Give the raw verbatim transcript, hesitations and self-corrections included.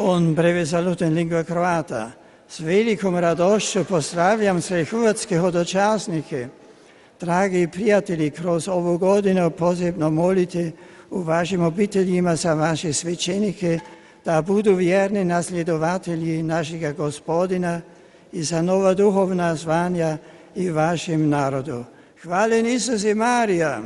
On breve saluto in lingua croata. S velikom radošću pozdravljam sve hrvatske hodočasnike. Dragi prijatelji, kroz ovu godinu posebno molite u vašim obiteljima za vaše svećenike da budu vjerni nasljedovatelji našega Gospodina i za nova duhovna zvanja i vašem narodu. Hvaljen Isus i Marija!